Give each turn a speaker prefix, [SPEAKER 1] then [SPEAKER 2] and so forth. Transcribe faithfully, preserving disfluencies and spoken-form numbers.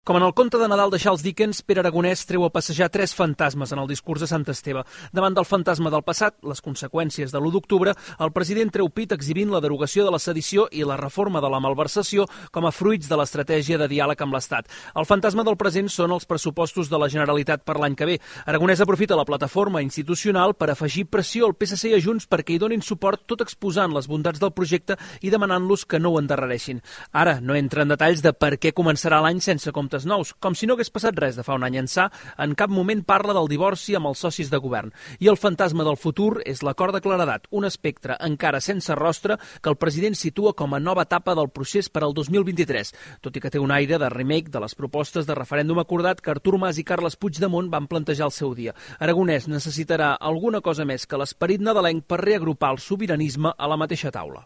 [SPEAKER 1] Com en el conte de Nadal de Charles Dickens, Pere Aragonès treu a passejar tres fantasmes en el discurs de Sant Esteve. Davant del fantasma del passat, les conseqüències de l'u d'octubre, el president treu pit exhibint la derogació de la sedició i la reforma de la malversació com a fruits de l'estratègia de diàleg amb l'Estat. El fantasma del present són els pressupostos de la Generalitat per l'any que ve. Aragonès aprofita la plataforma institucional per afegir pressió al P S C i a Junts perquè hi donin suport, tot exposant les bondats del projecte i demanant-los que no ho endarrereixin. Ara no entra en detalls de per què començarà l'any sense comptes nous. Com si no hagués passat res de fa un any ençà, en cap moment parla del divorci amb els socis de govern. I el fantasma del futur és l'acord de claredat, un espectre encara sense rostre que el president situa com a nova etapa del procés per al dos mil vint-i-tres, tot i que té un aire de remake de les propostes de referèndum acordat que Artur Mas i Carles Puigdemont van plantejar al seu dia. Aragonès necessitarà alguna cosa més que l'esperit nadalenc per reagrupar el sobiranisme a la mateixa taula.